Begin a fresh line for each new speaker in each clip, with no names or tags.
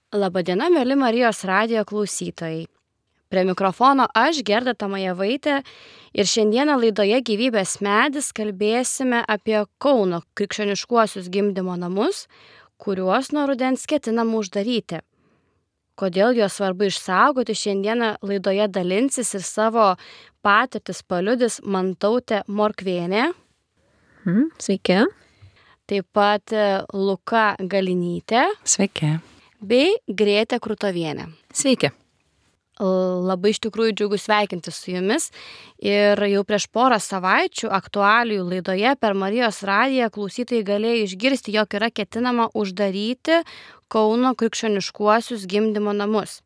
Labadiena, mėly Marijos radijo klausytojai. Prie mikrofono aš, Gerda Tamajevaitė, ir šiandieną laidoje Gyvybės medis kalbėsime apie Kauno krikščioniškuosius gimdymo namus, kuriuos nuo rudens ketinama uždaryti. Kodėl juos svarbu išsaugoti, šiandieną laidoje dalinsis ir savo patirtis paliudys Mantautė Morkvėnė.
Sveiki.
Taip pat Luka Galinytė.
Sveiki.
Bei Grėtė Krutovienė.
Sveiki.
Labai iš tikrųjų džiugu sveikinti su jumis ir jau prieš porą savaičių aktualijų laidoje per Marijos radiją klausytojai galėjo išgirsti, jog yra ketinama uždaryti Kauno krikščioniškuosius gimdymo namus.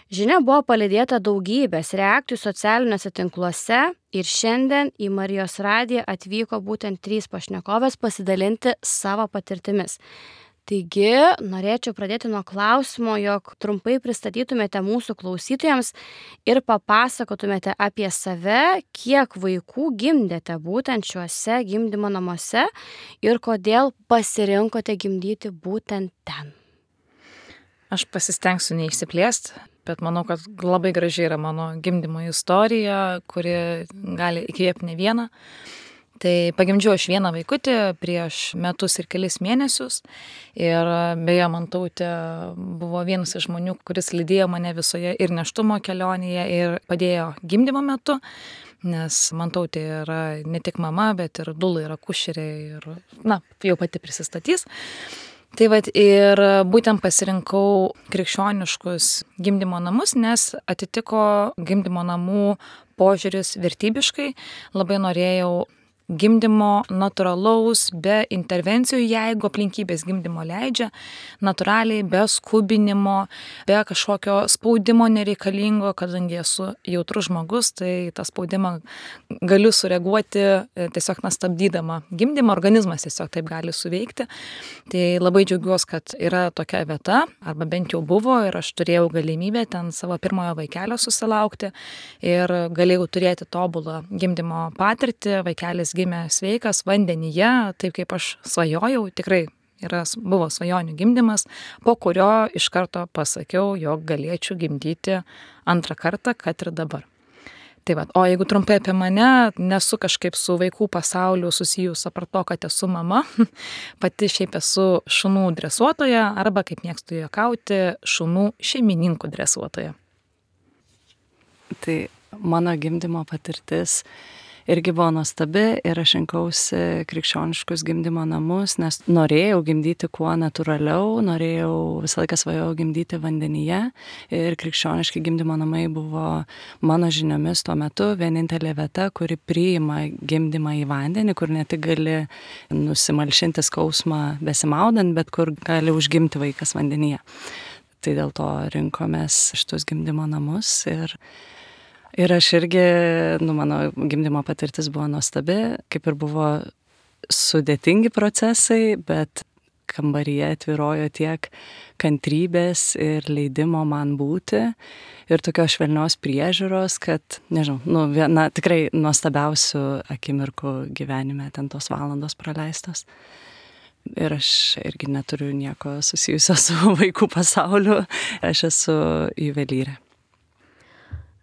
Žinia buvo palydėta daugybės reakcijų socialiniuose tinkluose ir šiandien į Marijos radiją atvyko būtent 3 pašnekovės pasidalinti savo patirtimis. Taigi, norėčiau pradėti nuo klausimo, jog trumpai pristatytumėte mūsų klausytojams ir papasakotumėte apie save, kiek vaikų gimdėte būtent šiuose gimdymo namuose ir kodėl pasirinkote gimdyti būtent ten.
Aš pasistengsiu neišsiplėsti, bet manau, kad labai gražiai yra mano gimdymo istorija, kuri gali įkvėpti ne vieną. Tai pagimdžiau aš vieną vaikutį prieš metus ir kelis mėnesius ir beje Mantautė buvo vienas iš žmonių, kuris lydėjo mane visoje ir nėštumo kelionėje ir padėjo gimdymo metu, nes Mantautė yra ne tik mama, bet ir dula, yra akušerė ir, jau pati prisistatys. Tai vat ir būtent pasirinkau krikščioniškus gimdymo namus, nes atitiko gimdymo namų požiūris vertybiškai, labai norėjau gimdymo natūralaus, be intervencijų, jeigu aplinkybės gimdymo leidžia, natūraliai, be skubinimo, be kažkokio spaudimo nereikalingo, kadangi esu jautrus žmogus, tai tą spaudimą galiu sureaguoti tiesiog stabdydama gimdymą, organizmas tiesiog taip gali suveikti. Tai labai džiaugiuosi, kad yra tokia vieta, arba bent jau buvo, ir aš turėjau galimybę ten savo pirmojo vaikelio susilaukti ir galėjau turėti tobulą gimdymo patirtį, vaikelis gimė sveikas vandenyje, taip kaip aš svajojau, tikrai buvo svajonių gimdymas, po kurio iš karto pasakiau, jog galėčiau gimdyti antrą kartą, kad ir dabar. Tai va, o jeigu trumpai apie mane, nesu kažkaip su vaikų pasauliu susijus apart to, kad esu mama, pati šiaip esu šunų dresuotoja arba, kaip mėgstu juokauti, šunų šeimininkų dresuotoja.
Tai mano gimdymo patirtis irgi buvo nuostabi ir aš rinkausi krikščioniškus gimdymo namus, nes norėjau gimdyti kuo natūraliau, norėjau visą laiką svajojau gimdyti vandenyje ir krikščioniški gimdymo namai buvo mano žiniomis tuo metu vienintelė vieta, kuri priima gimdymą į vandenį, kur ne tik gali nusimalšinti skausmą besimaudant, bet kur gali užgimti vaikas vandenyje. Tai dėl to rinkomės šitus gimdymo namus ir aš irgi, mano gimdymo patirtis buvo nuostabi, kaip ir buvo sudėtingi procesai, bet kambaryje atvirojo tiek kantrybės ir leidimo man būti ir tokios švelnios priežiūros, kad, nežinau, viena tikrai nuostabiausių akimirkų gyvenime ten tos valandos praleistos. Ir aš irgi neturiu nieko susijusio su vaikų pasauliu, aš esu juvelyrė.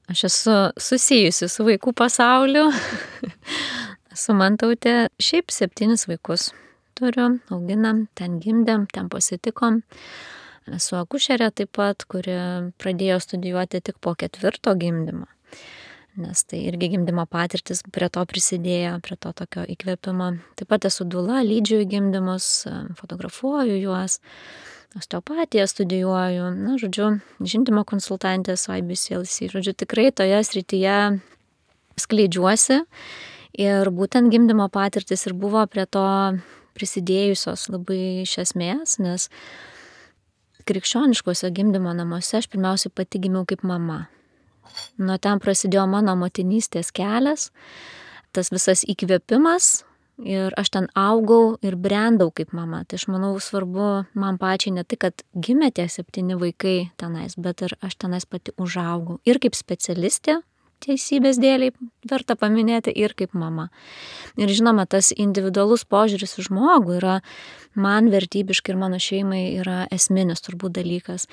Aš esu susijusi su vaikų pasauliu. Esu Mantautė, šiaip 7 vaikus turiu, auginam, ten gimdėm, ten pasitikom. Esu akušerė taip pat, kuri pradėjo studijuoti tik po 4 gimdymo. Nes tai irgi gimdymo patirtis prie to prisidėjo, prie to tokio įkvėpimo. Taip pat esu dula, lydžiu į gimdymus, fotografuoju juos. Osteopatiją studijuoju, žindymo konsultantė su IBCLC. Tikrai toje srityje skleidžiuosi ir būtent gimdymo patirtis ir buvo prie to prisidėjusios labai iš esmės, nes krikščioniškuose gimdymo namuose aš pirmiausiai pati gimiau kaip mama. Nuo ten prasidėjo mano motinystės kelias, tas visas įkvėpimas. Ir aš ten augau ir brendau kaip mama. Tai aš manau svarbu man pačiai ne tik, kad gimė tie 7 vaikai tenais, bet ir aš tenais pati užaugau. Ir kaip specialistė, teisybės dėliai verta paminėti, ir kaip mama. Ir žinoma, tas individualus požiūris į žmogų yra man vertybiškai ir mano šeimai yra esminis turbūt dalykas,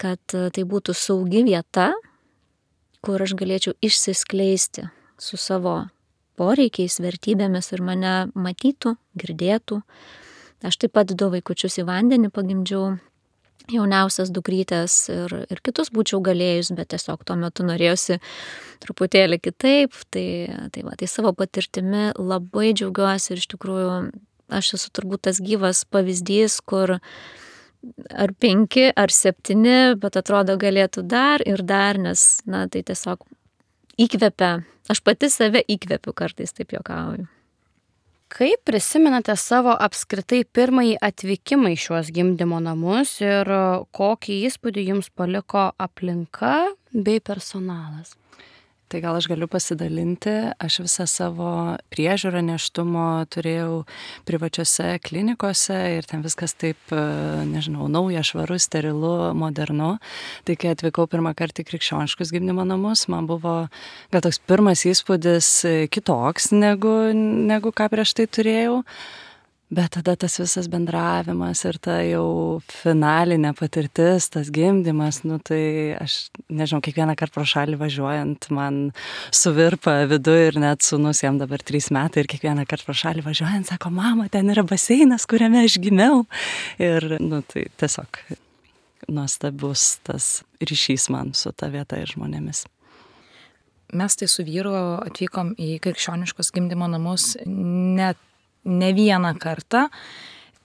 kad tai būtų saugi vieta, kur aš galėčiau išsiskleisti su savo poreikiais, vertybėmis ir mane matytų, girdėtų. Aš taip pat 2 vaikučius į vandenį pagimdžiau, jauniausias dukrytės ir kitus būčiau galėjus, bet tiesiog tuo metu norėjusi truputėlį kitaip. Tai savo patirtimi labai džiaugiuosi ir iš tikrųjų aš esu turbūt tas gyvas pavyzdys, kur ar 5, ar 7, bet atrodo galėtų dar ir dar, nes, tai tiesiog įkvepia. Aš pati save įkvepiu kartais, taip juokauju.
Kaip prisimenate savo apskritai pirmąjį atvykimą į šiuos gimdymo namus ir kokį įspūdį jums paliko aplinka bei personalas?
Tai gal aš galiu pasidalinti, aš visą savo priežiūrą nėštumo turėjau privačiose klinikose ir ten viskas taip, nežinau, nauja, švaru, sterilu, modernu. Tai kai atvykau pirmą kartą į krikščioniškus gimdymo namus, man buvo gal toks pirmas įspūdis kitoks negu ką prieš tai turėjau. Bet tada tas visas bendravimas ir ta jau finalinė patirtis, tas gimdymas, tai aš, nežinau, kiekvieną kartą pro šalį važiuojant, man suvirpa viduje ir net sūnus, jam dabar 3 metai, ir kiekvieną kartą pro šalį važiuojant, sako, mama, ten yra baseinas, kuriame aš gimiau. Ir, tai tiesiog nuostabus tas ryšys man su ta vieta ir žmonėmis.
Mes tai su vyru atvykom į krikščioniškus gimdymo namus ne vieną kartą.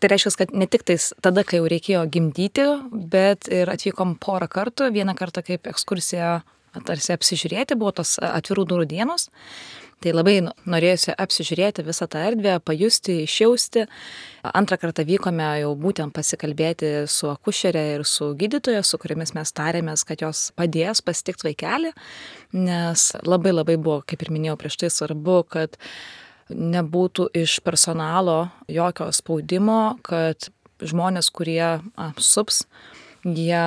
Tai reiškia, kad ne tik tada, kai jau reikėjo gimdyti, bet ir atvykom porą kartų. Vieną kartą kaip ekskursija tarsi apsižiūrėti, buvo tos atvirų durų dienos. Tai labai norėjusi apsižiūrėti visą tą erdvę, pajusti, išjausti. Antrą kartą vykome jau būtent pasikalbėti su akušerė ir su gydytoja, su kuriamis mes tarėmės, kad jos padės pasitikti vaikelį, nes labai buvo, kaip ir minėjau prieš tai, svarbu, kad nebūtų iš personalo jokio spaudimo, kad žmonės, kurie sups, jie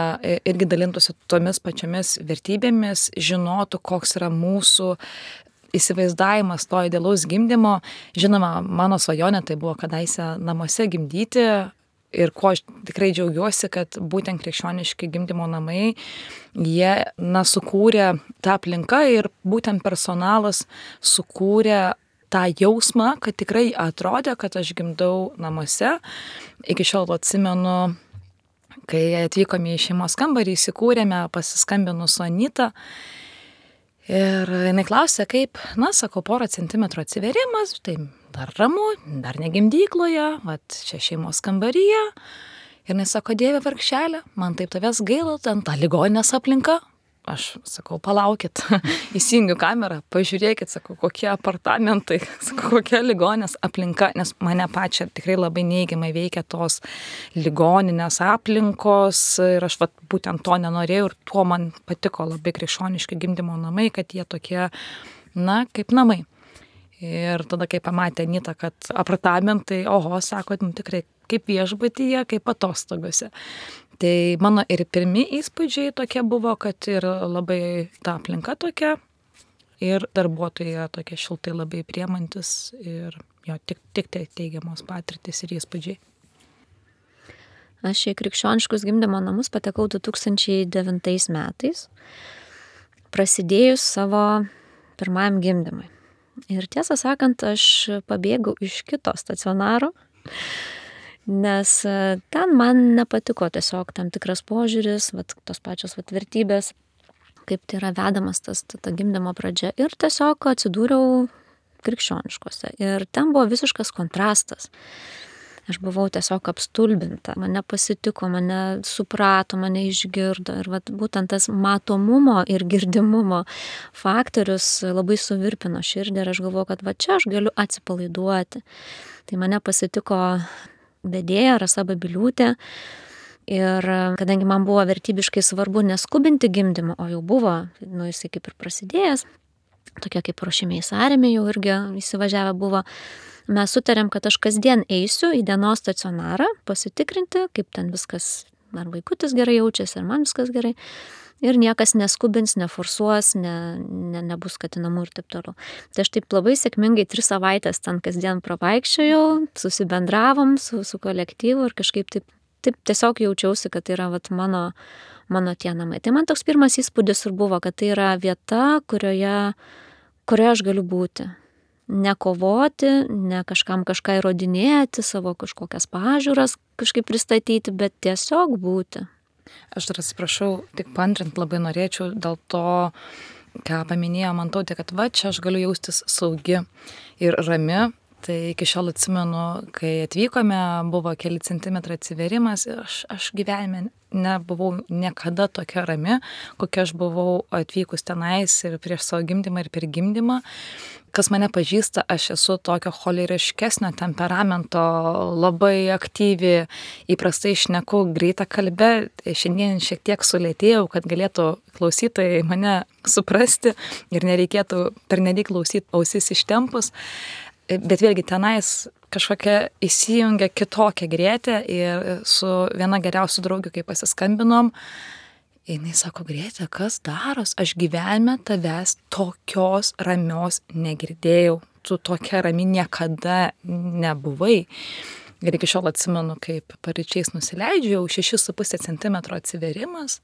irgi dalintųsi tomis pačiomis vertybėmis, žinotų, koks yra mūsų įsivaizdavimas to idealaus gimdymo. Žinoma, mano svajonė tai buvo kadaise namuose gimdyti. Ir ko aš tikrai džiaugiuosi, kad būtent krikščioniški gimdymo namai, jie sukūrė tą aplinką ir būtent personalas sukūrė tą jausmą, kad tikrai atrodė, kad aš gimdau namuose. Iki šiol atsimenu, kai atvykome į šeimos kambarį, įsikūrėme, pasiskambinu su Anita. Ir jinai klausė, kaip, sakau, 1 centimetrų atsiverimas, tai dar ramu, dar ne gimdykloje, čia šeimos kambaryje. Ir jinai sako, Dieve vargšelė, man taip tavęs gaila, ten ta ligoninės aplinka. Aš sakau, palaukit, įsijungiu kamerą, pažiūrėkit, sakau, kokie apartamentai, sakau, kokia ligoninės aplinka, nes mane pačią tikrai labai neigiamai veikia tos ligoninės aplinkos ir aš būtent to nenorėjau ir tuo man patiko labai krikščioniški gimdymo namai, kad jie tokie, kaip namai. Ir tada, kai pamatė Anita, kad apartamentai, sako, tikrai kaip viešbutyje, kaip atostogose. Tai mano ir pirmi įspūdžiai tokie buvo, kad ir labai ta aplinka tokia ir darbuotojai tokie šiltai labai priemantis ir tik teigiamos patirtis ir įspūdžiai.
Aš į krikščioniškus gimdymo namus patekau 2009 metais, prasidėjus savo pirmajam gimdymui. Ir tiesą sakant, aš pabėgau iš kito stacionaro, nes ten man nepatiko tiesiog tam tikras požiūris, tos pačios vertybės, kaip tai yra vedamas ta gimdymo pradžia. Ir tiesiog atsidūriau krikščioniškose. Ir ten buvo visiškas kontrastas. Aš buvau tiesiog apstulbinta, mane pasitiko, mane suprato, mane išgirdo. Ir būtent tas matomumo ir girdimumo faktorius labai suvirpino širdį ir aš galvoju, kad čia aš galiu atsipalaiduoti. Tai mane pasitiko vedėja Rasa Babiliūtė. Ir kadangi man buvo vertybiškai svarbu neskubinti gimdymą, o jau buvo, jisai kaip ir prasidėjęs, tokia kaip ruošimiai sąrėmė jau irgi įsivažiavę buvo, mes sutarėm, kad aš kasdien eisiu į dienos stacionarą pasitikrinti, kaip ten viskas, ar vaikutis gerai jaučiasi, ar man viskas gerai. ir niekas neskubins, neforsuos, nebus skatinamų ir taip toliau. Tai aš taip labai sėkmingai 3 savaitės ten kasdien pravaikščiojau, susibendravom su kolektyvu ir kažkaip taip tiesiog jaučiausi, kad tai yra vat, mano tie namai. Tai man toks pirmas įspūdis ir buvo, kad tai yra vieta, kurioje aš galiu būti. Nekovoti, ne kažkam kažką įrodinėti, savo kažkokias pažiūras kažkaip pristatyti, bet tiesiog būti.
Aš dar atsiprašau, tik paantrint labai norėčiau dėl to, ką paminėjo Mantautė, kad va, čia aš galiu jaustis saugi ir rami. Tai iki šiol atsimenu, kai atvykome, buvo keli centimetrai atsiverimas ir aš gyvenime nebuvau niekada tokia rami, kokia aš buvau atvykus tenais ir prieš savo gimdymą ir per gimdymą. Kas mane pažįsta, aš esu tokio choleriškesnio temperamento, labai aktyvi, įprastai šneku greitą kalbę, šiandien šiek tiek sulėtėjau, kad galėtų klausytojai mane suprasti ir nereikėtų pernelyg klausyti ausis ištempus. Bet vėlgi tenais kažkokia įsijungia kitokia Grėtė ir su viena geriausių draugių, kai pasiskambinom, jinai sako, Grėtė, kas daros? Aš gyvenime tavęs tokios ramios negirdėjau. Tu tokia rami niekada nebuvai. Ir iki šiol atsimenu, kaip paryčiais nusileidžiau, 6,5 cm atsiverimas.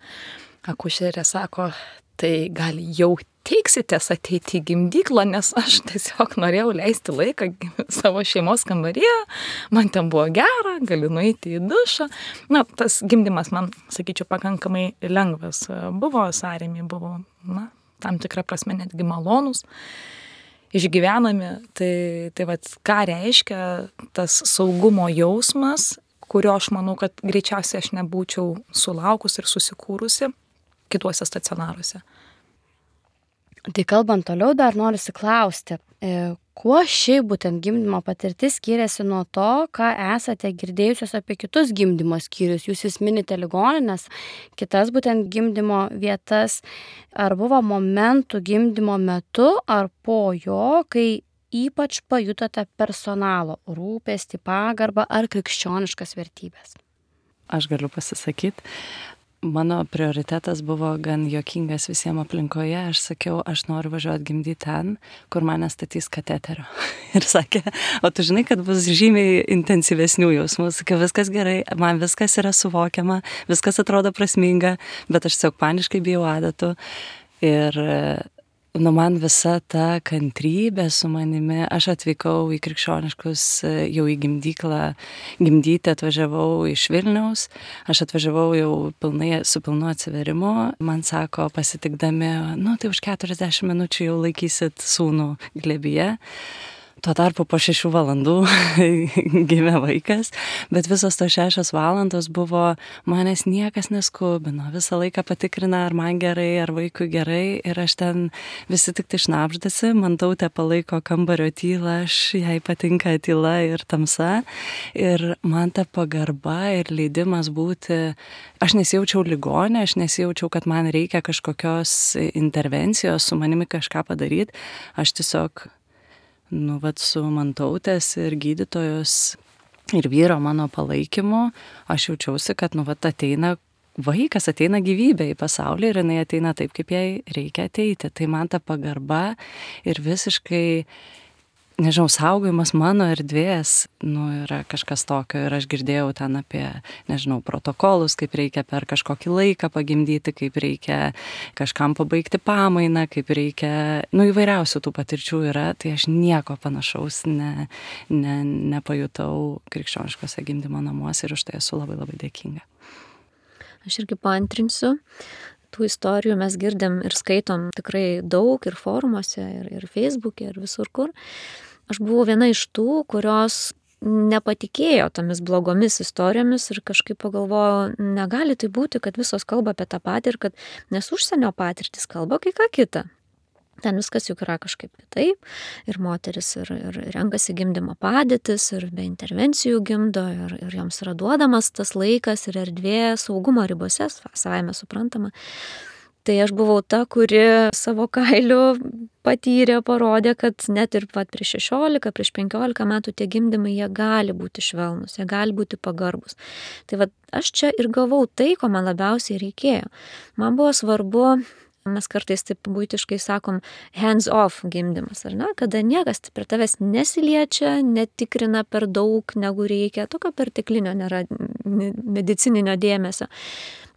Akušerė sako, tai gal jau teiksitės ateiti į gimdyklą, nes aš tiesiog norėjau leisti laiką savo šeimos kambaryje, man ten buvo gera, galiu nueiti į dušą. Na, tas gimdymas man, sakyčiau, pakankamai lengvas buvo, sąrėmiai buvo, tam tikrą prasme netgi malonus, išgyvenami. Tai vat, ką reiškia tas saugumo jausmas, kurio aš manau, kad greičiausiai aš nebūčiau sulaukus ir susikūrusi kituose stacionaruose.
Tai kalbant toliau, dar norisi klausti, kuo šiaip būtent gimdymo patirtis skiriasi nuo to, ką esate girdėjusios apie kitus gimdymo skyrius. Jūs vis minite ligoninės, kitas būtent gimdymo vietas. Ar buvo momentų gimdymo metu ar po jo, kai ypač pajutote personalo rūpestį, pagarbą ar krikščioniškas vertybės?
Aš galiu pasisakyti. Mano prioritetas buvo gan juokingas visiems aplinkoje. Aš sakiau, aš noriu važiuoti gimdyti ten, kur mane statys kateterio. Ir sakė, o tu žinai, kad bus žymiai intensyvesnių jausmų. Sakiau, viskas gerai, man viskas yra suvokiama, viskas atrodo prasminga, bet aš tiesiog paniškai bijau adatų. Ir man visa ta kantrybė su manimi, aš atvykau į krikščioniškus, jau į gimdyklą, gimdyti atvažiavau iš Vilniaus, aš atvažiavau jau su pilnu atsiverimu, man sako pasitikdami, tai už 40 minučių jau laikysit sūnų glėbyje. Tuo tarpu po 6 valandų gimė vaikas, bet visos tos 6 valandos buvo, manęs niekas neskubino, visą laiką patikrina, ar man gerai, ar vaikui gerai, ir aš ten visi tik tai šnabždasi, Mantautė palaiko kambario tylą, jai patinka tyla ir tamsa, ir man ta pagarba ir leidimas būti, aš nesijaučiau ligonė, aš nesijaučiau, kad man reikia kažkokios intervencijos, su manimi kažką padaryti, aš tiesiog su Mantautės ir gydytojos ir vyro mano palaikymu, aš jaučiausi, kad ateina vaikas, ateina gyvybė į pasaulį ir jinai ateina taip, kaip jai reikia ateiti. Tai man ta pagarba ir visiškai, saugojimas mano erdvės, yra kažkas tokio. Ir aš girdėjau ten apie, protokolus, kaip reikia per kažkokį laiką pagimdyti, kaip reikia kažkam pabaigti pamainą, kaip reikia, įvairiausių tų patirčių yra, tai aš nieko panašaus nepajutau krikščioniškose gimdymo namuose ir už tai esu labai labai dėkinga.
Aš irgi paantrinsiu. Tų istorijų mes girdim ir skaitom tikrai daug ir forumuose, ir Facebook'e, ir visur kur. Aš buvau viena iš tų, kurios nepatikėjo tomis blogomis istorijomis ir kažkaip pagalvojau, negali tai būti, kad visos kalba apie tą patį ir kad nes užsienio patirtis kalba kai ką kitą. Ten viskas juk yra kažkaip kitaip ir moteris ir renkasi gimdymo padėtis ir be intervencijų gimdo ir joms yra duodamas tas laikas ir erdvė saugumo ribose, savaime suprantama. Tai aš buvau ta, kuri savo kailiu patyrė, parodė, kad net ir prieš 16, prieš 15 metų tie gimdymai, jie gali būti švelnus, jie gali būti pagarbus. Tai aš čia ir gavau tai, ko man labiausiai reikėjo. Man buvo svarbu, mes kartais taip buitiškai sakom, hands off gimdymas, ar ne? Kada niekas prie tavęs nesiliečia, netikrina per daug, negu reikia, tokio perteklinio nėra medicininio dėmesio.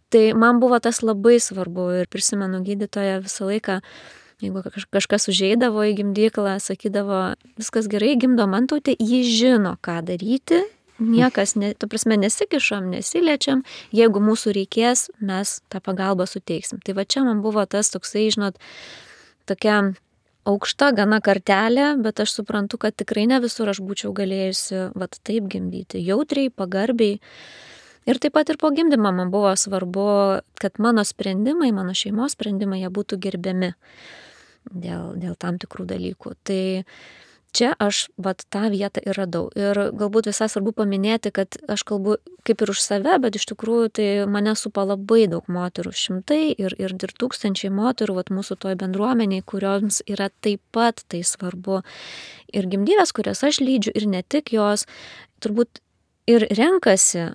Tai man buvo tas labai svarbu ir prisimenu gydytoją visą laiką, jeigu kažkas užeidavo į gimdyklą, sakydavo, viskas gerai, gimdo Mantautė, ji žino, ką daryti, niekas, nesikišam, nesiliečiam, jeigu mūsų reikės, mes tą pagalbą suteiksim. Tai čia man buvo tas toksai, žinot, tokia aukšta gana kartelė, bet aš suprantu, kad tikrai ne visur aš būčiau galėjusi taip gimdyti, jautriai, pagarbiai. Ir taip pat ir po gimdymo man buvo svarbu, kad mano sprendimai, mano šeimos sprendimai, jie būtų gerbiami dėl tam tikrų dalykų. Tai čia aš tą vietą ir radau. Ir galbūt visai svarbu paminėti, kad aš kalbu kaip ir už save, bet iš tikrųjų tai mane supa labai daug moterų, šimtai ir tūkstančiai moterų mūsų toj bendruomeniai, kurioms yra taip pat tai svarbu. Ir gimdyvės, kurias aš lydžiu, ir ne tik jos, turbūt ir renkasi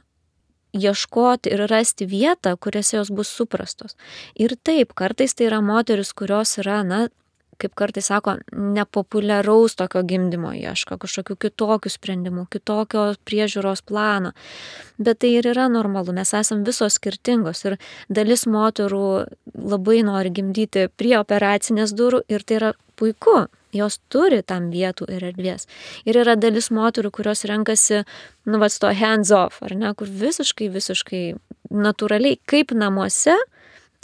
ieškoti ir rasti vietą, kuriuose jos bus suprastos. Ir taip, kartais tai yra moteris, kurios yra, kaip kartais sako, nepopuliaraus tokio gimdymo ieško, kažkokių kitokių sprendimų, kitokio priežiūros plano. Bet tai ir yra normalu, mes esam visos skirtingos ir dalis moterų labai nori gimdyti prie operacinės durų ir tai yra puiku. Jos turi tam vietų ir erdvės. Ir yra dalis moterų, kurios renkasi, to hands off, ar ne, kur visiškai natūraliai, kaip namuose,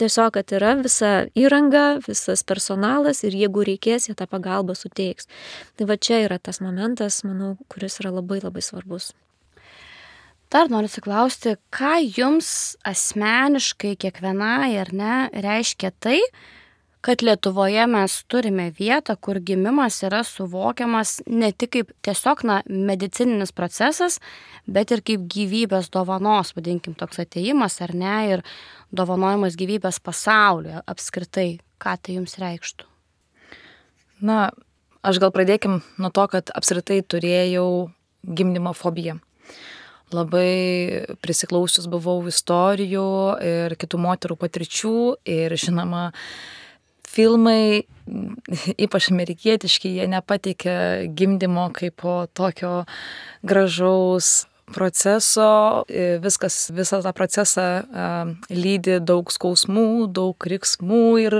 tiesiog, kad yra visa įranga, visas personalas ir jeigu reikės, jie tą pagalbą suteiks. Tai čia yra tas momentas, manau, kuris yra labai labai svarbus.
Dar noriu atsiklausti, ką jums asmeniškai kiekvienai, ar ne, reiškia tai, kad Lietuvoje mes turime vietą, kur gimimas yra suvokiamas ne tik kaip tiesiog medicininis procesas, bet ir kaip gyvybės dovanos, vadinkim, toks atėjimas, ar ne, ir dovanojimas gyvybės pasaulyje apskritai. Ką tai jums reikštų?
Aš gal pradėkim nuo to, kad apskritai turėjau gimdymo fobiją. Labai prisiklausius buvau istorijų ir kitų moterų patirčių ir žinoma, filmai, ypač amerikietiški, jie nepateikia gimdymo kaip po tokio gražaus proceso. Visą tą procesą lydi daug skausmų, daug riksmų ir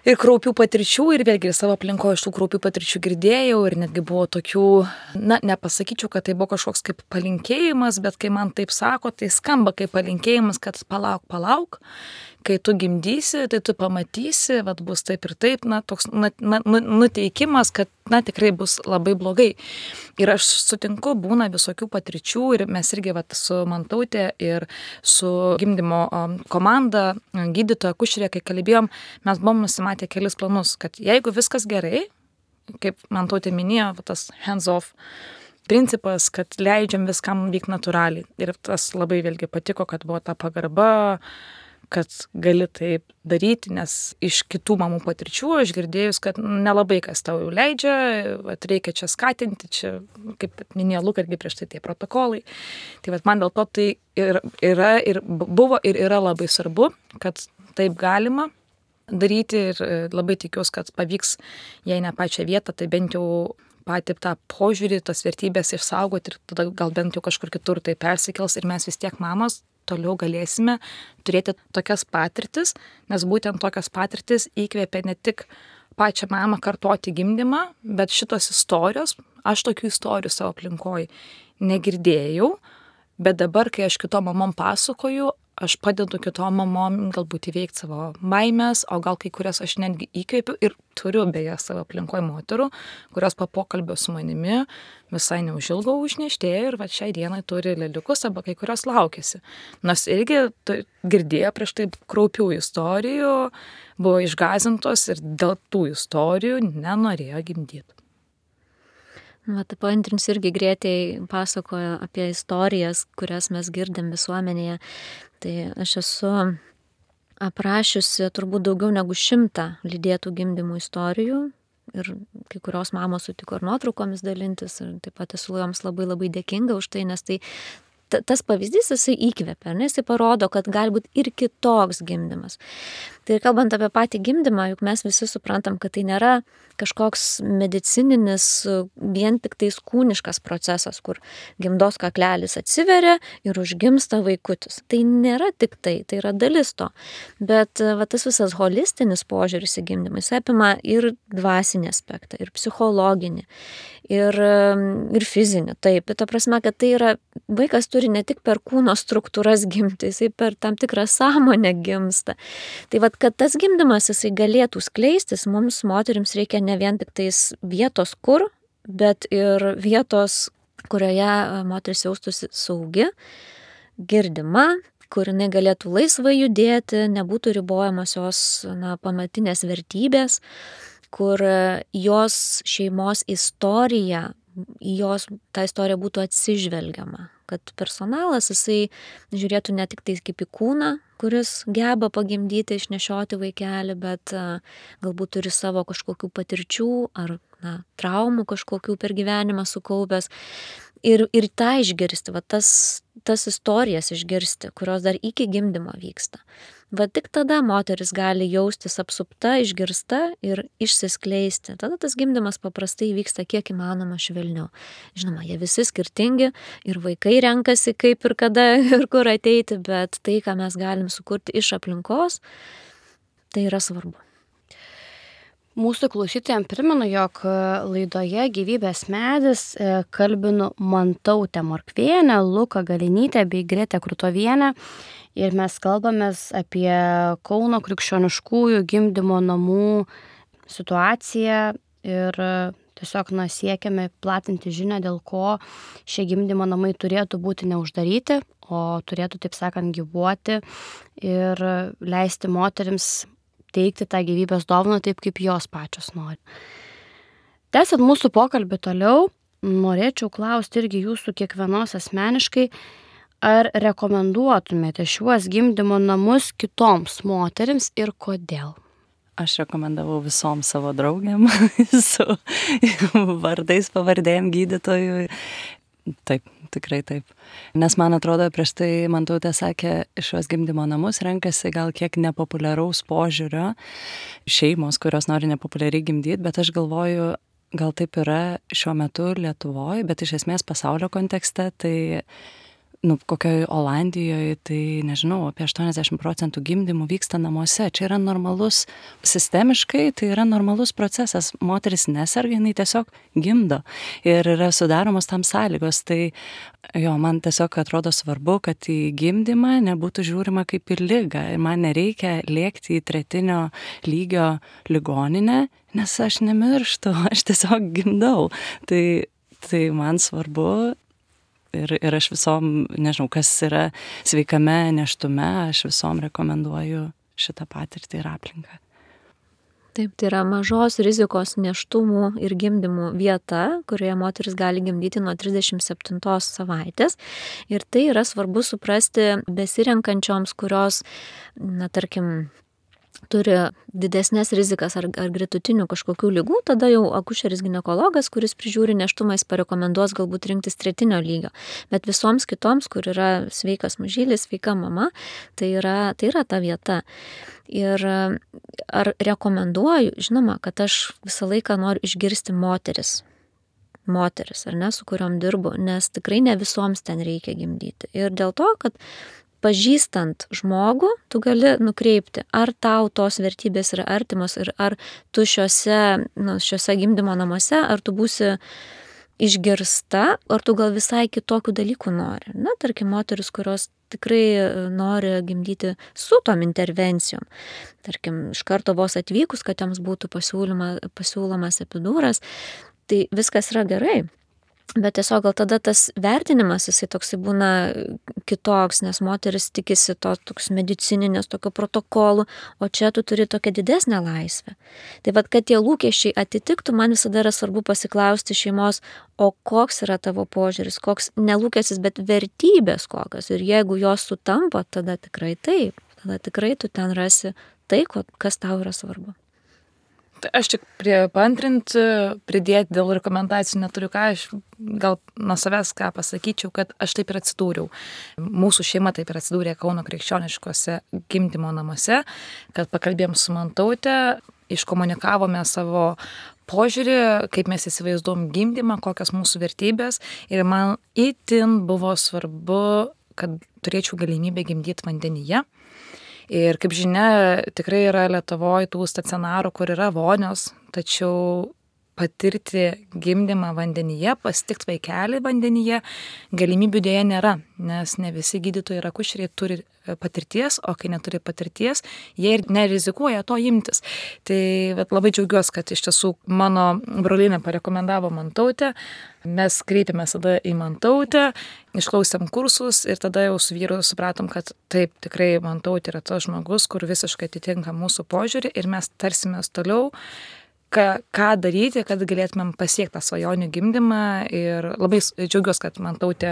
kraupių patirčių. Ir vėlgi savo aplinkoje iš tų kraupių patirčių girdėjau ir netgi buvo tokių, nepasakyčiau, kad tai buvo kažkoks kaip palinkėjimas, bet kai man taip sako, tai skamba kaip palinkėjimas, kad palauk. Kai tu gimdysi, tai tu pamatysi, bus taip ir taip, toks nuteikimas, kad tikrai bus labai blogai. Ir aš sutinku, būna visokių patirčių ir mes irgi su Mantautė ir su gimdymo komanda, gydytoja, akušerė, kai kalbėjom, mes buvom nusimatę kelis planus, kad jeigu viskas gerai, kaip Mantautė minėjo, tas hands off principas, kad leidžiam viskam vykti natūraliai. Ir tas labai vėlgi patiko, kad buvo ta pagarba, kad gali taip daryti, nes iš kitų mamų patirčių aš girdėjus, kad nelabai kas tau jau leidžia, reikia čia skatinti, čia, kaip minėjo Luka, irgi prieš tai tie protokolai. Tai man dėl to tai yra ir buvo ir yra labai svarbu, kad taip galima daryti ir labai tikiuosi, kad pavyks, jei ne pačią vietą, tai bent jau patį tą požiūrį, tas vertybės išsaugoti ir tada gal bent jau kažkur kitur tai persikels ir mes vis tiek mamos toliau galėsime turėti tokias patirtis, nes būtent tokias patirtis įkvėpia ne tik pačią mamą kartoti gimdymą, bet šitos istorijos, aš tokių istorijų savo aplinkoje negirdėjau, bet dabar, kai aš kitom mamom pasakoju, aš padedu kitom mamom galbūt įveikti savo baimės, o gal kai kurias aš netgi įkvėpiu ir turiu beje savo aplinkoje moterų, kurios po pokalbio su manimi visai neužilgo užneštėjo ir šiai dienai turi leliukus arba kai kurios laukiasi. Nors irgi girdėjo prieš tai kraupių istorijų, buvo išgąsdintos ir dėl tų istorijų nenorėjo gimdyti.
Paantrinsiu irgi Grėtei pasakojo apie istorijas, kurias mes girdim visuomenėje. Tai aš esu aprašiusi turbūt daugiau negu 100 lydėtų gimdymų istorijų. Ir kai kurios mamos sutiko ir nuotraukomis dalintis, ir taip pat esu joms labai labai dėkinga už tai, nes tai tas pavyzdys jisai įkvepia, nes jisai parodo, kad gali būti ir kitoks gimdymas. Tai kalbant apie patį gimdymą, juk mes visi suprantam, kad tai nėra kažkoks medicininis, vien tik tais kūniškas procesas, kur gimdos kaklelis atsiveria ir užgimsta vaikutis. Tai nėra tik tai yra dalis to. Bet tas visas holistinis požiūris į gimdymą, jis apima ir dvasinį aspektą, ir psichologinį, ir fizinį. Taip, ta prasme, kad tai yra, vaikas turi ne tik per kūno struktūras gimti, jisai per tam tikrą sąmonę gimsta. Tai kad tas gimdymas jisai galėtų skleistis, mums moterims reikia ne vien tik tais vietos kur, bet ir vietos, kurioje moteris jaustųsi saugi, girdima, kur jinai galėtų laisvai judėti, nebūtų ribojamos jos pamatinės vertybės, kur jos šeimos istorija, jos ta istorija būtų atsižvelgiama, kad personalas jisai žiūrėtų ne tik tai kaip į kūną, kuris geba pagimdyti, išnešioti vaikelį, bet galbūt turi savo kažkokių patirčių ar traumų kažkokių per gyvenimą sukaupęs. Ir tą išgirsti, tas istorijas išgirsti, kurios dar iki gimdymo vyksta. Tik tada moteris gali jaustis apsupta, išgirsta ir išsiskleisti. Tada tas gimdymas paprastai vyksta kiek įmanoma švelniau. Žinoma, jie visi skirtingi ir vaikai renkasi kaip ir kada ir kur ateiti, bet tai, ką mes galim sukurti iš aplinkos, tai yra svarbu.
Mūsų klausytojams primenu, jog laidoje Gyvybės medis kalbinu Mantautę Morkvienę, Luką Galinytę bei Gretę Krutovienę. Ir mes kalbamės apie Kauno krikščioniškųjų gimdymo namų situaciją ir tiesiog siekiame platinti žinią, dėl ko šie gimdymo namai turėtų būti neuždaryti, o turėtų, taip sakant, gyvuoti ir leisti moterims teikti tą gyvybės dovaną taip, kaip jos pačios nori. Tęsiant mūsų pokalbį toliau, norėčiau klausti irgi jūsų kiekvienos asmeniškai, ar rekomenduotumėte šiuos gimdymo namus kitoms moterims ir kodėl?
Aš rekomendavau visom savo draugėm su vardais, pavardėm gydytojų. Taip, tikrai taip. Nes man atrodo, prieš tai Mantautė sakė, šios gimdymo namus renkasi gal kiek nepopuliaraus požiūrio šeimos, kurios nori nepopuliariai gimdyti, bet aš galvoju, gal taip yra šiuo metu Lietuvoje, bet iš esmės pasaulio kontekste, tai kokioje Olandijoje, tai nežinau, apie 80% gimdymų vyksta namuose. Čia yra normalus, sistemiškai tai yra normalus procesas. Moteris neserga, jinai tiesiog gimdo ir yra sudaromos tam sąlygos. Tai man tiesiog atrodo svarbu, kad į gimdymą nebūtų žiūrima kaip į ligą. Ir man nereikia lėkti į 3. lygio ligoninę, nes aš nemirštu, aš tiesiog gimdau. Tai man svarbu. Ir aš visom, nežinau, kas yra sveikame nėštume, aš visom rekomenduoju šitą patirtį ir aplinką.
Taip, tai yra mažos rizikos nėštumų ir gimdymų vieta, kurioje moteris gali gimdyti nuo 37 savaitės. Ir tai yra svarbu suprasti besirenkančioms, kurios, tarkim, turi didesnės rizikas ar gretutinių kažkokių ligų, tada jau akušeris ginekologas, kuris prižiūri nėštumą, jis parekomenduos galbūt rinktis 3. lygio. Bet visoms kitoms, kur yra sveikas mažylis, sveika mama, tai yra ta vieta. Ir ar rekomenduoju, žinoma, kad aš visą laiką noriu išgirsti moteris, ar ne, su kuriuom dirbu, nes tikrai ne visoms ten reikia gimdyti. Ir dėl to, kad pažįstant žmogų, tu gali nukreipti, ar tau tos vertybės yra artimos ir ar tu šiuose gimdymo namuose, ar tu būsi išgirsta, ar tu gal visai kitokių dalykų nori. Tarkim, moteris, kurios tikrai nori gimdyti su tom intervencijom. Tarkim, iš karto vos atvykus, kad joms būtų pasiūlomas epidūras, tai viskas yra gerai. Bet tiesiog gal tada tas vertinimas, jisai toksai būna kitoks, nes moteris tikisi to toks medicininės, tokio protokolų, o čia tu turi tokią didesnę laisvę. Tai kad tie lūkesčiai atitiktų, man visada yra svarbu pasiklausti šeimos, o koks yra tavo požiūris, koks nelūkestis, bet vertybės kokios. Ir jeigu jos sutampa, tada tikrai taip. tada tikrai tu ten rasi tai, kas tau yra svarbu.
Tai aš tik paantrinti, pridėti dėl rekomendacijų neturiu ką, aš gal nuo savęs ką pasakyčiau, kad aš taip ir atsidūriau. Mūsų šeima taip ir atsidūrė Kauno krikščioniškose gimdymo namuose, kad pakalbėjom su Mantaute, iškomunikavome savo požiūrį, kaip mes įsivaizduom gimdymą, kokios mūsų vertybės ir man itin buvo svarbu, kad turėčiau galimybę gimdyti vandenyje. Ir kaip žinia, tikrai yra Lietuvoje tų stacionarų, kur yra vonios, tačiau patirti gimdymą vandenyje, pasitikti vaikelį vandenyje, galimybių dėja nėra, nes ne visi gydytojai ir akušeriai turi patirties, o kai neturi patirties, jie ir nerizikuoja to imtis. Tai labai džiaugiuosi, kad iš tiesų mano brolinė parekomendavo Mantautę, mes kreipėmės tada į Mantautę, išklausėm kursus ir tada jau su vyru supratom, kad taip, tikrai Mantautė yra tas žmogus, kur visiškai atitinka mūsų požiūrį ir mes tarsimės toliau, ką daryti, kad galėtumėm pasiekti tą svajonių gimdymą ir labai džiaugiuosi, kad Mantautė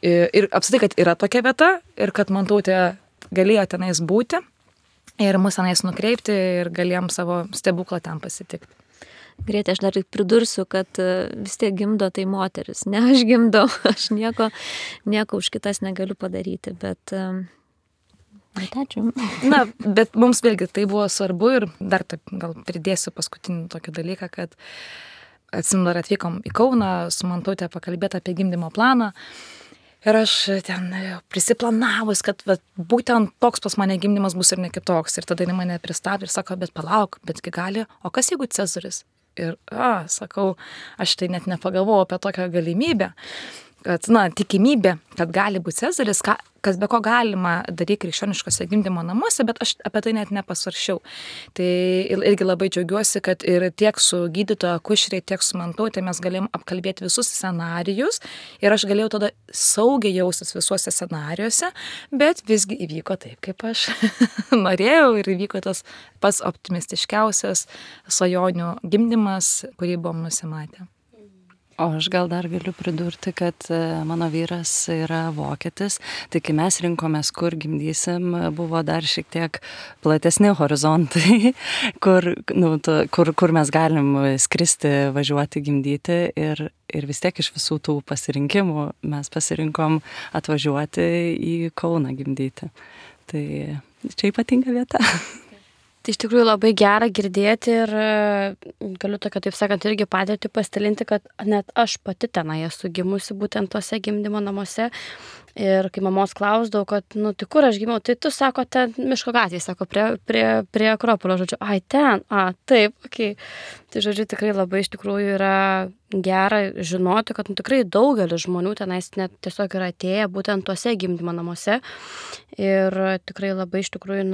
ir apskritai, kad yra tokia vieta ir kad Mantautė galėjo tenais būti ir mus tenais nukreipti ir galėjom savo stebuklą ten pasitikti.
Grėtė, aš dar pridursiu, kad vis tiek gimdo tai moteris, ne aš gimdau, aš nieko už kitas negaliu padaryti, bet ačiū.
Na, bet mums vėlgi tai buvo svarbu ir dar taip gal pridėsiu paskutinį tokį dalyką, kad atsimenu, dar atvykom į Kauną su Mantaute pakalbėti apie gimdymo planą ir aš ten prisiplanavus, kad būtent toks pas mane gimdymas bus ir ne kitoks. Ir tada jinai mane pristabdė ir sako, bet palauk, betgi gali, o kas jeigu Cezaris? Ir sakau, aš tai net nepagalvojau apie tokią galimybę. Kad, tikimybė, kad gali būti Cezaris, kas be ko galima daryti krikščioniškose gimdymo namuose, bet aš apie tai net nepasvaršiau. Tai irgi labai džiaugiuosi, kad ir tiek su gydytoja akušeriai, tiek su Mantaute mes galėjom apkalbėti visus scenarijus ir aš galėjau tada saugiai jaustis visuose scenarijuose, bet visgi įvyko taip, kaip aš norėjau ir įvyko tas pats optimistiškiausias svajonių gimdymas, kurį buvom nusimatę.
O aš gal dar galiu pridurti, kad mano vyras yra vokietis, tai kai mes rinkomės, kur gimdysim, buvo dar šiek tiek platesni horizontai, kur mes galim skristi, važiuoti, gimdyti ir vis tiek iš visų tų pasirinkimų mes pasirinkom atvažiuoti į Kauną gimdyti. Tai čia ypatinga vieta.
Tai iš tikrųjų labai gera girdėti ir galiu tokia, taip sakant, irgi patirtį pasidalinti, kad net aš pati tenai esu gimusi būtent tose gimdymo namuose. Ir kai mamos klausdavau, kad, tai kur aš gimiau, tai tu, sako, ten miško gatvėje, sako, prie Akropolio, žodžiu, ten, taip, okei. Tai, žodžiu, tikrai labai iš tikrųjų yra gera žinoti, kad tikrai daugelis žmonių tenais net tiesiog yra atėję būtent tuose gimdymo namuose. Ir tikrai labai iš tikrųjų,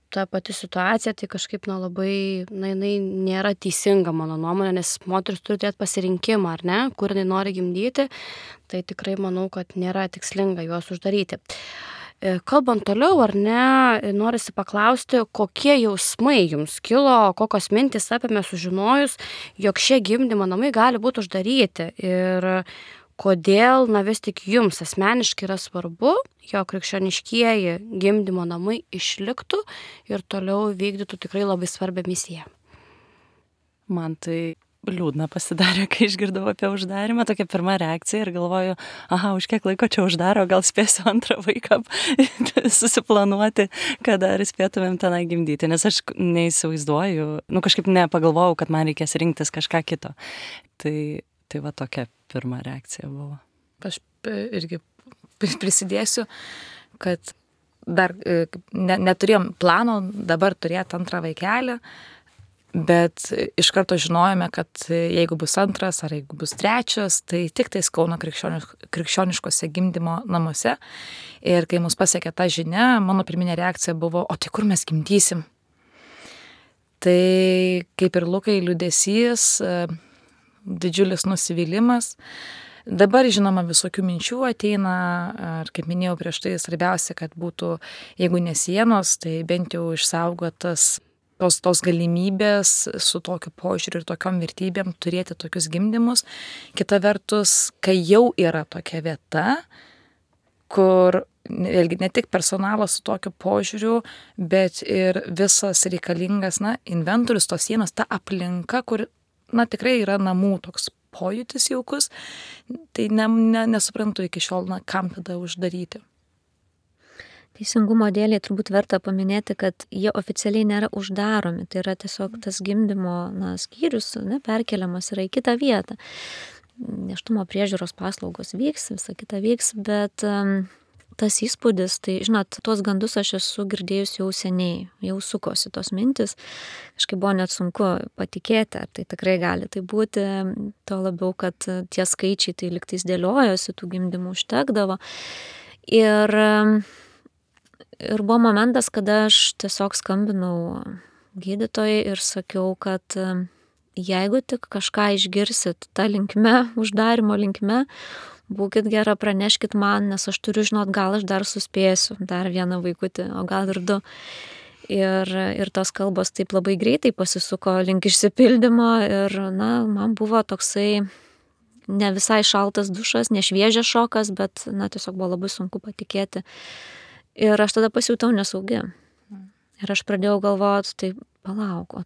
ta pati situacija, tai kažkaip, labai, jinai nėra teisinga mano nuomonė, nes moteris turi turėti pasirinkimą, ar ne, kur jinai nori gimdyti, tai tikrai manau, kad nėra tikslinga juos uždaryti. Kalbant toliau, ar ne, norisi paklausti, kokie jausmai jums kilo, kokios mintys apėmė sužinojus, jog šie gimdymo namai gali būti uždaryti ir kodėl, vis tik jums asmeniškai yra svarbu, jog krikščioniškieji gimdymo namai išliktų ir toliau vykdytų tikrai labai svarbią misiją.
Man tai liūdna pasidarė, kai išgirdau apie uždarimą, tokia pirma reakcija ir galvoju, už kiek laiko čia uždaro, gal spėsiu antrą vaiką susiplanuoti, kad dar spėtumėm tenai gimdyti, nes aš neįsivaizduoju, kažkaip nepagalvojau, kad man reikės rinktis kažką kito. Tai va tokia pirma reakcija buvo.
Aš irgi prisidėsiu, kad dar neturėjom plano dabar turėti antrą vaikelį, bet iš karto žinojome, kad jeigu bus antras ar jeigu bus trečias, tai tik tais Kauno krikščioniškose gimdymo namuose. Ir kai mus pasiekė ta žinia, mano pirminė reakcija buvo, o tai kur mes gimdysim? Tai kaip ir Lukai liūdesys, didžiulis nusivylimas. Dabar, žinoma, visokių minčių ateina, ar kaip minėjau prieš tai, svarbiausia, kad būtų, jeigu ne sienos, tai bent jau išsaugotas tos galimybės su tokiu požiūriu ir tokiom vertybėm turėti tokius gimdymus. Kita vertus, kai jau yra tokia vieta, kur vėlgi ne tik personalas su tokiu požiūriu, bet ir visas reikalingas, inventorius, tos sienos, ta aplinka, kur, tikrai yra namų toks pojūtis jaukus, tai nesuprantu iki šiol, kam tada uždaryti.
Teisingumo dėlei turbūt verta paminėti, kad jie oficialiai nėra uždaromi, tai yra tiesiog tas gimdymo skyrius perkeliamas yra į kitą vietą. Nėštumo priežiūros paslaugos vyks, visa kita vyks, bet tas įspūdis, tai žinot, tuos gandus aš esu girdėjus jau seniai, jau sukosi tos mintis, kažkaip buvo net sunku patikėti, ar tai tikrai gali tai būti, to labiau, kad tie skaičiai tai liktais dėliojosi, tų gimdymų užtekdavo. Ir buvo momentas, kada aš tiesiog skambinau gydytojai ir sakiau, kad jeigu tik kažką išgirsit tą linkme, uždarimo linkme, būkit gera, praneškit man, nes aš turiu žinot, gal aš dar suspėsiu, dar vieną vaikutį, o gal ir 2. Ir tos kalbos taip labai greitai pasisuko link išsipildymo ir, man buvo toksai ne visai šaltas dušas, ne šviežias šokas, bet, tiesiog buvo labai sunku patikėti. Ir aš tada pasijutau nesaugi. Ir aš pradėjau galvoti, tai palauk, o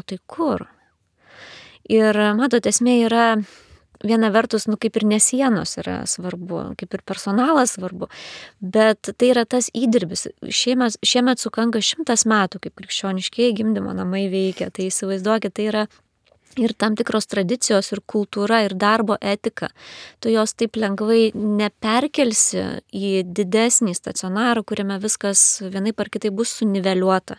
tai kur? Ir matot, esmė yra viena vertus, kaip ir nesienos yra svarbu, kaip ir personalas svarbu, bet tai yra tas įdirbis. Šiemet sukanka 100 metų, kaip krikščioniškieji gimdymo namai veikia. Tai įsivaizduokit, tai yra ir tam tikros tradicijos, ir kultūra, ir darbo etika. Tu jos taip lengvai neperkelsi į didesnį stacionarą, kuriame viskas vienaip ar kitaip bus suniveliuota.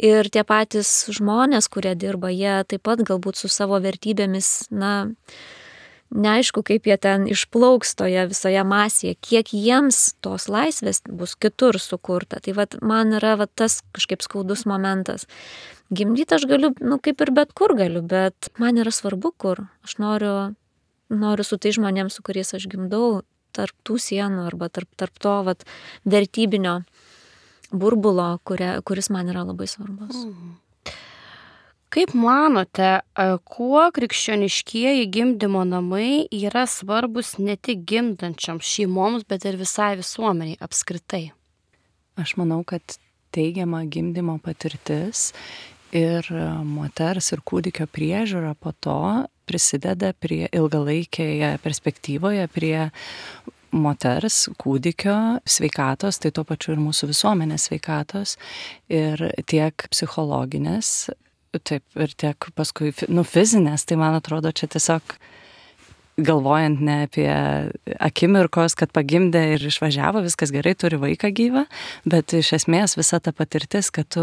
Ir tie patys žmonės, kurie dirba, jie taip pat galbūt su savo vertybėmis, neaišku, kaip jie ten išplauks toje visoje masėje, kiek jiems tos laisvės bus kitur sukurta. Tai man yra tas kažkaip skaudus momentas. Gimdyti aš galiu, kaip ir bet kur galiu, bet man yra svarbu, kur. Aš noriu su tai žmonėms, su kuriais aš gimdau, tarp tų sienų arba tarp to vertybinio burbulo, kuris man yra labai svarbus.
Kaip manote, kuo krikščioniškieji gimdymo namai yra svarbus ne tik gimdančioms šeimoms, bet ir visai visuomeniai apskritai?
Aš manau, kad teigiama gimdymo patirtis ir moters ir kūdikio priežiūra po to prisideda prie ilgalaikėje perspektyvoje prie moters, kūdikio sveikatos, tai tuo pačiu ir mūsų visuomenės sveikatos ir tiek psichologinės, taip, ir tiek paskui fizinės, tai man atrodo čia tiesiog galvojant ne apie akimirkos, kad pagimdė ir išvažiavo, viskas gerai, turi vaiką gyvą, bet iš esmės visa ta patirtis, kad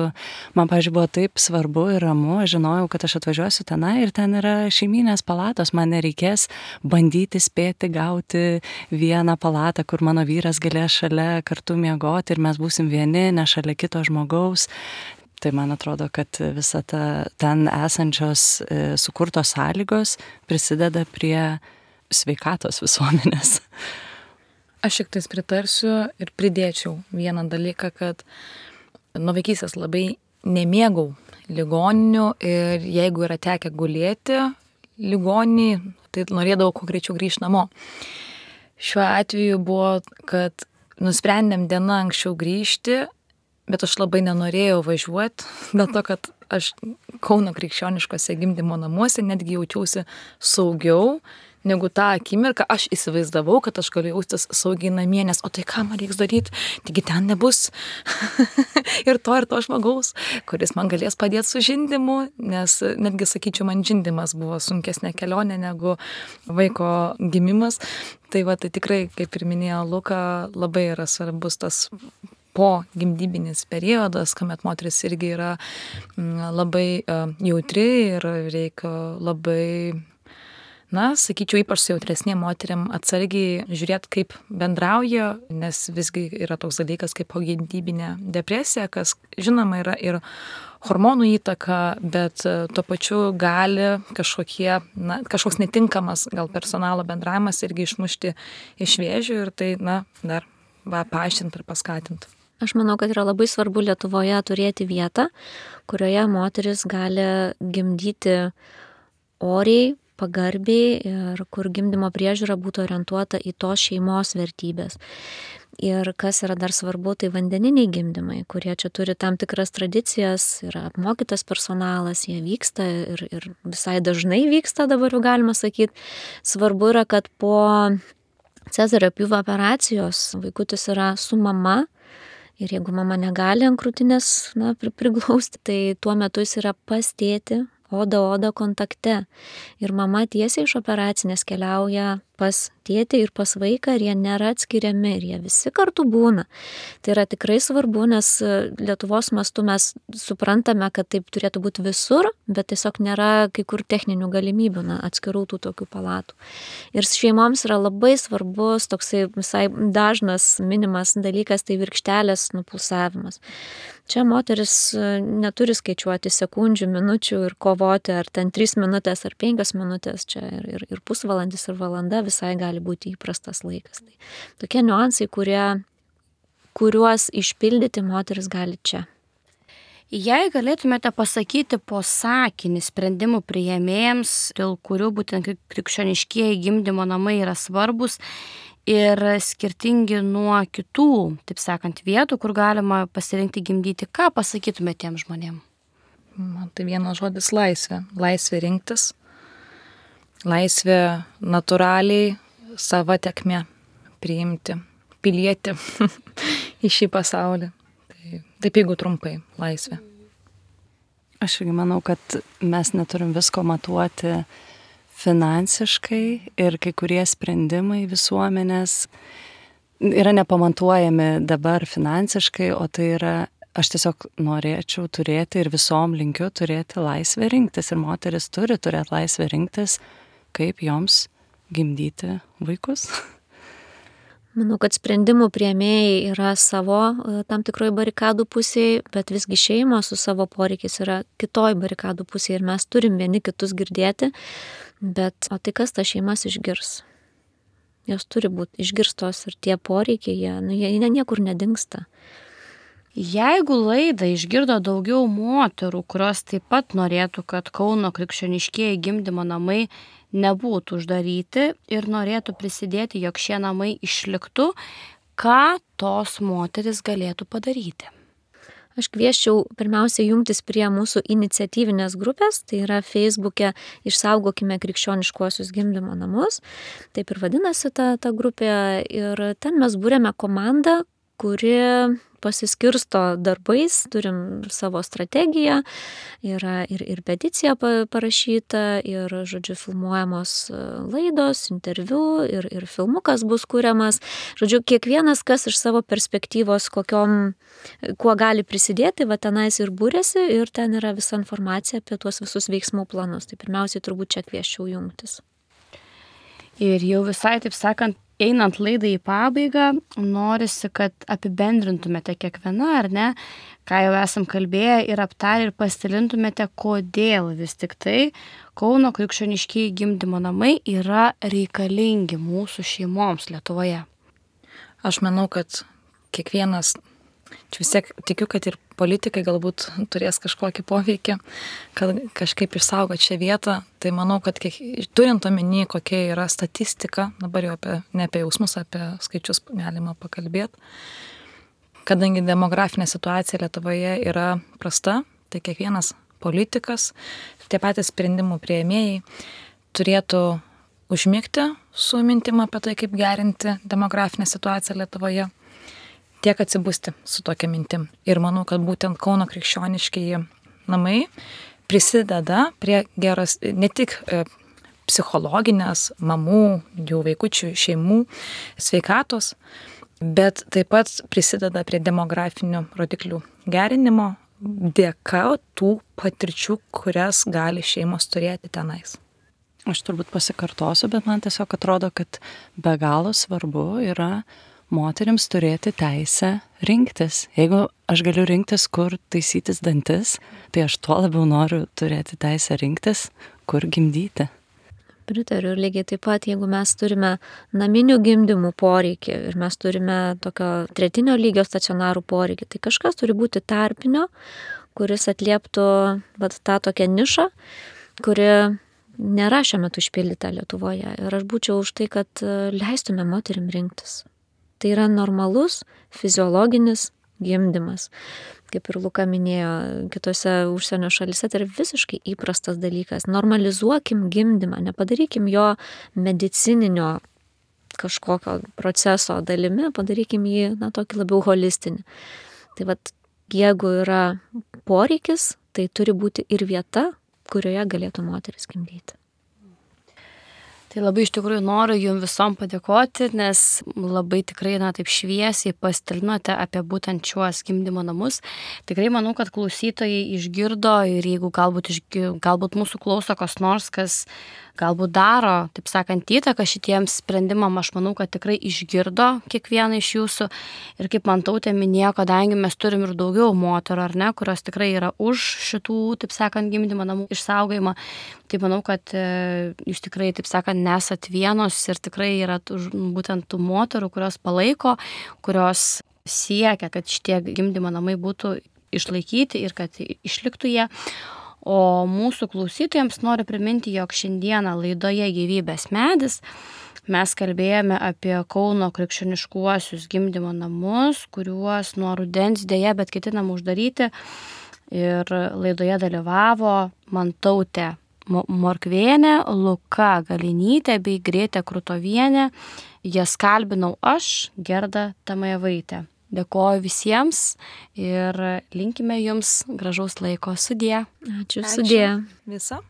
man, pavyzdžiui, buvo taip svarbu ir ramu, aš žinojau, kad aš atvažiuosiu tenai ir ten yra šeiminės palatos, man nereikės bandyti spėti gauti vieną palatą, kur mano vyras galės šalia kartu miegoti ir mes būsim vieni, ne šalia kito žmogaus. Tai man atrodo, kad visa ten esančios sukurtos sąlygos prisideda prie sveikatos visuomenės.
Aš šiek tiek pritarsiu ir pridėčiau vieną dalyką, kad nuo vaikystės labai nemėgau ligoninių ir jeigu yra tekę gulėti ligoninį, tai norėdavau kuo greičiau grįžti namo. Šiuo atveju buvo, kad nusprendėm dieną anksčiau grįžti, bet aš labai nenorėjau važiuoti, dėl to, kad aš Kauno krikščioniškose gimdymo namuose netgi jaučiausi saugiau negu tą akimirką. Aš įsivaizdavau, kad aš galiu jaustis saugiai namie, nes o tai ką man reiks daryti, taigi ten nebus ir to žmogaus, kuris man galės padėti su žindymu, nes netgi, sakyčiau, man žindymas buvo sunkesnė kelionė negu vaiko gimimas. Tai tai tikrai, kaip ir minėjo Luka, labai yra svarbus tas po gimdybinis periodas, kuomet moteris irgi yra labai jautri ir reikia labai, sakyčiau, ypač su jautresnėm moteriam atsargiai žiūrėti, kaip bendrauja, nes visgi yra toks dalykas kaip pogimdybinė depresija, kas žinoma yra ir hormonų įtaka, bet tuo pačiu gali kažkoks netinkamas gal personalo bendravimas irgi išmušti iš vėžių ir tai, dar paaiškinti ir paskatinti.
Aš manau, kad yra labai svarbu Lietuvoje turėti vietą, kurioje moteris gali gimdyti oriai, pagarbiai ir kur gimdymo priežiūra būtų orientuota į tos šeimos vertybės. Ir kas yra dar svarbu, tai vandeniniai gimdymai, kurie čia turi tam tikras tradicijas, yra apmokytas personalas, jie vyksta ir visai dažnai vyksta, dabar jau galima sakyti. Svarbu yra, kad po Cezario pjūvio operacijos vaikutis yra su mama ir jeigu mama negali ant krūtinės priglausti, tai tuo metu jis yra pas tėtį, oda kontakte. Ir mama tiesiai iš operacinės keliauja pas tėtį ir pas vaiką ir jie nėra atskiriami ir jie visi kartu būna. Tai yra tikrai svarbu, nes Lietuvos mastu mes suprantame, kad taip turėtų būti visur, bet tiesiog nėra kai kur techninių galimybių atskirų tų tokių palatų. Ir šeimoms yra labai svarbus toksai visai dažnas minimas dalykas, tai virkštelės nupulsavimas. Čia moteris neturi skaičiuoti sekundžių, minučių ir kovoti, ar ten 3 minutės ar 5 minutės, čia ir pusvalandis ir valanda visai gali būti įprastas laikas. Tai tokie niuansai, kuriuos išpildyti moteris gali čia.
Jei galėtumėte pasakyti po sakinį sprendimų priėmėjams, dėl kurių būtent krikščioniškieji gimdymo namai yra svarbus ir skirtingi nuo kitų, taip sakant, vietų, kur galima pasirinkti gimdyti, ką pasakytumėte tiem žmonėm?
Man tai vienas žodis laisvė. Laisvė rinktis. Laisvė natūraliai savo tekmę priimti, pilietį į šį pasaulį. Taip jeigu trumpai, laisvė.
Aš irgi manau, kad mes neturim visko matuoti finansiškai ir kai kurie sprendimai visuomenės yra nepamatuojami dabar finansiškai, o tai yra, aš tiesiog norėčiau turėti ir visom linkiu turėti laisvę rinktis ir moteris turi turėti laisvę rinktis, kaip joms gimdyti vaikus.
Manau, kad sprendimų priėmėjai yra savo tam tikroj barikadų pusėje, bet visgi šeimos su savo poreikiais yra kitoj barikadų pusėje ir mes turim vieni kitus girdėti, bet o tai kas tas šeimas išgirs? Jos turi būti išgirstos ir tie poreikiai, jie niekur nedingsta.
Jeigu laidą išgirdo daugiau moterų, kurios taip pat norėtų, kad Kauno krikščioniškieji gimdymo namai nebūtų uždaryti ir norėtų prisidėti, jog šie namai išliktų, ką tos moteris galėtų padaryti?
Aš kvieščiau pirmiausia jungtis prie mūsų iniciatyvinės grupės, tai yra Facebook'e Išsaugokime krikščioniškuosius gimdymo namus, taip ir vadinasi ta grupė, ir ten mes būrėme komandą, kuri pasiskirsto darbais, turim savo strategiją, yra ir peticija parašyta, ir, žodžiu, filmuojamos laidos, interviu, ir filmukas bus kuriamas. Žodžiu, kiekvienas, kas iš savo perspektyvos, kuo gali prisidėti, va tenais ir būrėsi, ir ten yra visa informacija apie tuos visus veiksmų planus. Tai pirmiausiai turbūt čia kvieščiau jungtis.
Ir jau visai, taip sakant, einant laidai į pabaigą, norisi, kad apibendrintumėte kiekvieną, ar ne, ką jau esam kalbėję ir aptarę ir pasidalintumėte, kodėl vis tik tai Kauno krikščioniškieji gimdymo namai yra reikalingi mūsų šeimoms Lietuvoje.
Aš manau, kad kiekvienas, čia vis tiek tikiu, kad ir politikai galbūt turės kažkokį poveikį, kad kažkaip išsaugoti šią vietą. Tai manau, kad turint omeny, kokia yra statistika, dabar jau ne apie jausmus, apie skaičius galima pakalbėti, kadangi demografinė situacija Lietuvoje yra prasta, tai kiekvienas politikas, tie patys sprendimų priėmėjai turėtų užmigti su mintim apie tai, kaip gerinti demografinę situaciją Lietuvoje, tiek atsibusti su tokia mintim. Ir manau, kad būtent Kauno krikščioniškieji namai prisideda prie geros, ne tik psichologinės mamų, jų vaikučių, šeimų sveikatos, bet taip pat prisideda prie demografinių rodiklių gerinimo dėka tų patirčių, kurias gali šeimos turėti tenais.
Aš turbūt pasikartosiu, bet man tiesiog atrodo, kad be galo svarbu yra moterims turėti teisę rinktis. Jeigu aš galiu rinktis, kur taisytis dantis, tai aš tuo labiau noriu turėti teisę rinktis, kur gimdyti.
Pritariu, ir lygiai taip pat, jeigu mes turime naminių gimdymų poreikį ir mes turime tokio 3 lygio stacionarų poreikį, tai kažkas turi būti tarpinio, kuris atlieptų tą tokią nišą, kuri nėra šiuo metu išpildyta Lietuvoje. Ir aš būčiau už tai, kad leistume moterim rinktis. Tai yra normalus fiziologinis gimdymas. Kaip ir Luka minėjo, kitose užsienio šalyse tai yra visiškai įprastas dalykas. Normalizuokim gimdymą, nepadarykim jo medicininio kažkokio proceso dalimi, padarykim jį, tokį labiau holistinį. Tai vat, jeigu yra poreikis, tai turi būti ir vieta, kurioje galėtų moteris gimdyti.
Tai labai iš tikrųjų noriu jums visom padėkoti, nes labai tikrai, taip šviesiai pasidalinote apie būtent šiuos gimdymo namus. Tikrai manau, kad klausytojai išgirdo ir jeigu galbūt mūsų klauso kas nors, kas galbūt daro, taip sakant, įtaką šitiems sprendimam, aš manau, kad tikrai išgirdo kiekvieną iš jūsų. Ir kaip man Tautė minėjo, kadangi mes turim ir daugiau moterų, ar ne, kurios tikrai yra už šitų, taip sakant, gimdymo namų išsaugojimą, tai manau, kad jūs tikrai, taip sakant, nesat vienos ir tikrai yra būtent tų moterų, kurios palaiko, kurios siekia, kad šitie gimdymo namai būtų išlaikyti ir kad išliktų jie. O mūsų klausytojams noriu priminti, jog šiandieną laidoje Gyvybės medis mes kalbėjome apie Kauno krikščioniškuosius gimdymo namus, kuriuos nuo rudens dėja, bet ketinam uždaryti. Ir laidoje dalyvavo Mantautė Morkvienė, Luka Galinytė bei Grėtė Krutovienė. Jas kalbinau aš, Gerda Tamajevaitė. Dėkoju visiems ir linkime jums gražaus laiko. Sudie.
Ačiū. Sudie.
Visa.